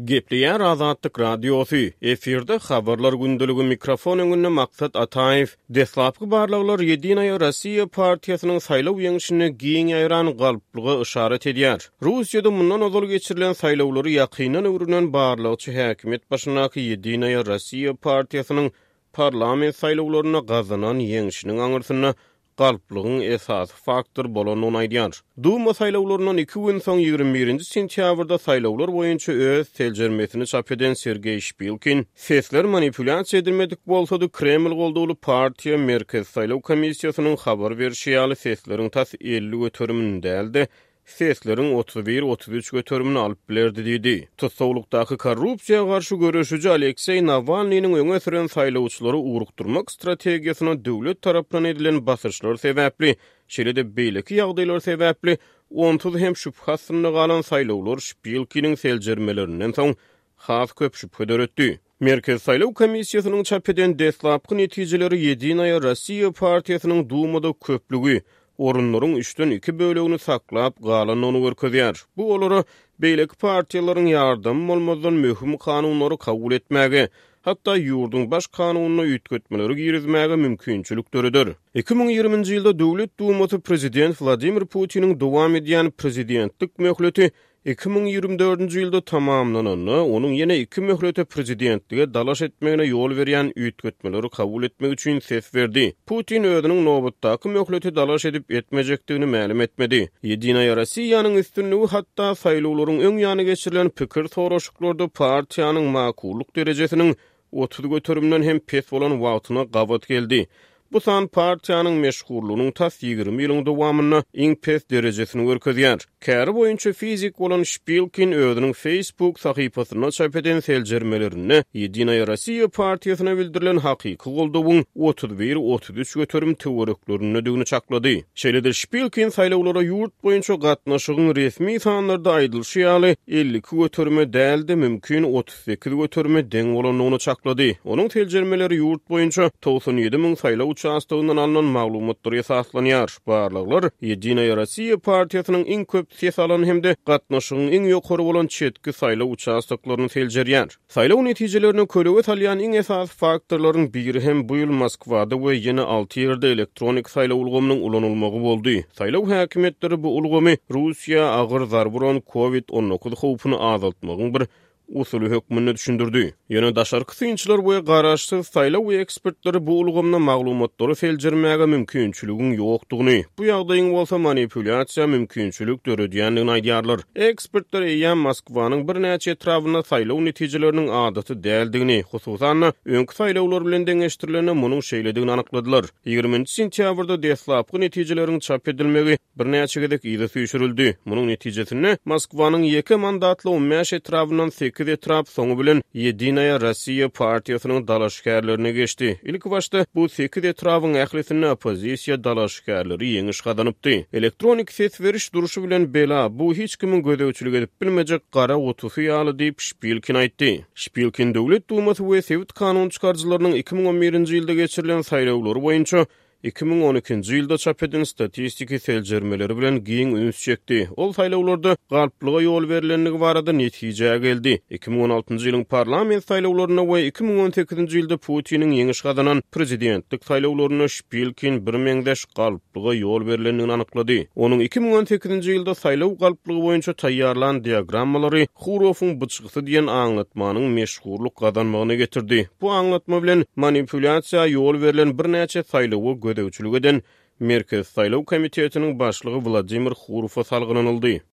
Gepleýär Azatlyk Radiosy, efirde Habarlar gündeligi mikrofon öňünde Maksat Ataýew. Deslapky barlaglar Ýedinaýa Rossiýa partiýasynyň saýlaw ýeňşinde giň ýaýran galplyga yşarat edýär. Russiýada mundan ozal geçirilen saýlawlary ýakyndan öwrenen barlagçy häkimiýet başyndaky Ýedinaýa Rossiýa partiýasynyň parlament saýlawlarynda gazanan ýeňşiniň aňyrsynda galplygyň esasy faktor bolandygyny aýdýar. Duma saýlawlaryndan iki gün soň, 21 nji sentýabrda saýlawlar boýunça öz seljermesini çap eden Sergeý Şpilkin, sesler manipulýasiýa edilmedik bolsady, Kreml goldawly partiýa Merkezi saýlaw komissiýasynyň habar berşi ýaly sesleriň tas 50 göterimini däl-de, sesleriň 31-33 göterimini alyp bilerdi diýdi. Tussaglykdaky korrupsiýa garşy göreşiji Alekseý Nawalnynyň öňe süren saýlawçylary ugrukdyrmak strategiýasyna döwlet tarapyndan edilen basyşlar sebäpli, şeýle-de beýleki ýagdaýlar sebäpli onsuz hem şübhe astynda galan saýlawlar Şpilkiniň seljermelerinden soň has köp şübhe döretdi. Merkezi saýlaw komissiýasynyň çap eden deslapky netijeleri Ýedinaýa Rossiýa partiýasynyň Dumada köplügi, orunlaryň üçden iki bölegini saklap galandygyny görkezýär. Bu olara beýleki partiýalaryň ýardamy bolmazdan möhüm kanunlary kabul etmäge, hatda ýurduň Baş kanunyna üýtgetmeleri girizmäge mümkinçilik döreder. 2020-nji ýylda Döwlet Dumasy prezident Wladimir Putiniň dowam edýän prezidentlik möhleti 2024-nji ýylda tamamlananda, onuň ýene iki möhlete prezidentlige dalaş etmegine ýol berýän üýtgetmeleri kabul etmek üçin ses berdi. Putin özüniň nobatdaky möhlete dalaş edip-etmejekdigini mälim etmedi. Ýedinaýa Rossiýanyň üstünligi hatda saýlawlaryň öň ýany geçirilen pikir soraşyklarda partiýanyň makullyk derejesiniň 30 göterimden hem pes bolan wagtyna gabat geldi. Bu san partiýanyň meşhurlygynyň tas 20 ýylyň dowamynda iň pes derejesini görkezýär. Käri boýunça fizik bolan Şpilkin özüniň Facebook sahypasynda çap eden seljermelerinde Ýedinaýa Rossiýa partiýasyna bildirilen hakyky goldawyň 31-33 göterim töwereklerindedigini çaklady. Şeýle-de Şpilkin saýlawlara ýurt boýunça gatnaşygyň resmi sanlarda aýdylyşy ýaly 52 göterime däl-de, mümkin 38 göterime deň bolandygyny çaklady. Onuň seljermeleri ýurt boýunça 97 müň saýlaw uçastogyndan alnan maglumatlara esaslanýar. Barlaglar Ýedinaýa Rossiýa partiýasynyň iň köp ses alan hem-de gatnaşygyň iň ýokary bolan çetki saýlaw uçastoklaryny seljerýär. Saýlaw netijelerine kölege salýan iň esasy faktorlaryň biri hem bu ýyl Moskwada we ýene alty ýerde elektronik saýlaw ulgamynyň ulanylmagy boldy. Saýlaw häkimiýetleri bu ulgamy Russiýa agyr zarba uran Covid 19 howpuny azaltmagyň bir usuly hökmünde düşündirdi. Ýöne daşarky synçylar we garaşsyz saýlaw ekspertleri bu ulgamda maglumatlary seljermäge mümkinçiligiň ýokdugyny, bu ýagdaýyň bolsa manipulýasiýa mümkinçilik döredýändigini aýdýarlar. Ekspertler eýýäm Moskwanyň birnäçe etrabynda saýlaw netijeleriniň adaty däldigini, hususan-da, öňki saýlawlar bilen deňeşdirilende munuň şeýledigini anykladylar. Ýigriminji sentýabrda deslapky netijeleriň çap edilmegi birnäçe gezek yza süýşürildi. Munuň netijesinde, Moskwanyň ýeke mandatly on bäş etrabyndan sekiz etrap soňy bilen Ýedinaýa Rossiýa partiýasynyň dalaşgärlerine geçdi. Ilkibaşda bu sekiz etrabyň ählisinde oppozisiýa dalaşgärleri ýeňiş gazanypdy. Elektronik ses beriş durşy bilen bela, bu hiç kimiň gözegçilik edip bilmejek gara gutusy ýaly diýip, Şpilkin aýtdy. Şpilkin Döwlet Dumasy we sebit kanun çykaryjylarynyň 2011-nji ýylda geçirilen saýlawlary boýunça 2012-nji ýylda çap eden statistiki seljermeleri bilen giň üns çekdi. Ol saýlawlarda galplyga ýol berlendigi barada netijä geldi. 2016-njy ýylyň parlament saýlawlarynda we 2018-nji ýylda Putiniň ýeňiş gazanan prezidentlik saýlawlarynda Şpilkin birmeňzeş galplyga ýol berlendigini anyklady. Onuň 2018-nji ýylda saýlaw galplygy boýunça taýýarlan diagrammalary Hurowyň byçgysy diýen aňlatmanyň meşhurlyk gazanmagyna getirdi. Bu aňlatma bilen manipulýasiýa ýol berlen birnäçe saýlawa gözegçilik eden Merkezi saýlaw komitetiniň başlygy Wladimir Hurowa salgylanyldy.